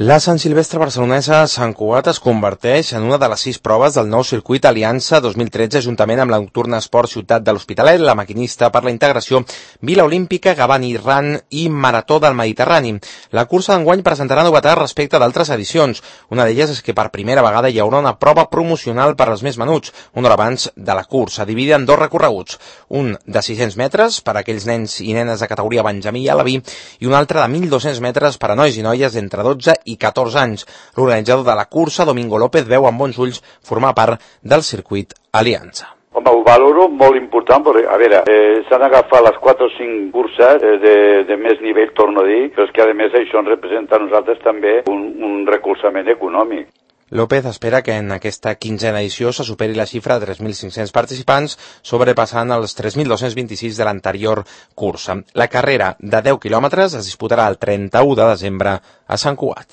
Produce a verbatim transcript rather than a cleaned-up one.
La Sant Silvestre barcelonesa Sant Cugat es converteix en una de les sis proves del nou circuit Aliança dos mil tretze, juntament amb la nocturna Esport Ciutat de l'Hospitalet, la Maquinista per la integració, Vila Olímpica, Gavani Ran i Marató del Mediterrani. La cursa d'enguany presentarà novetats respecte d'altres edicions. Una d'elles és que per primera vegada hi haurà una prova promocional per als més menuts, una hora abans de la cursa, dividida en dos recorreguts. Un de sis-cents metres per a aquells nens i nenes de categoria Benjamí i Alaví i un altre de mil dos-cents metres per a nois i noies d'entre dotze i catorze anys. L'organitzador de la cursa, Domingo López, veu amb bons ulls formar part del circuit Aliança. Home, ho valoro molt important, perquè, a veure, eh, s'han agafat les quatre o cinc curses eh, de, de més nivell, torno a dir, però és que a més això ens representa a nosaltres també un, un recolzament econòmic. López espera que en aquesta quinzena edició se superi la xifra de tres mil cinc-cents participants, sobrepassant els tres mil dos-cents vint-i-sis de l'anterior cursa. La carrera de deu quilòmetres es disputarà el trenta-u de desembre a Sant Cugat.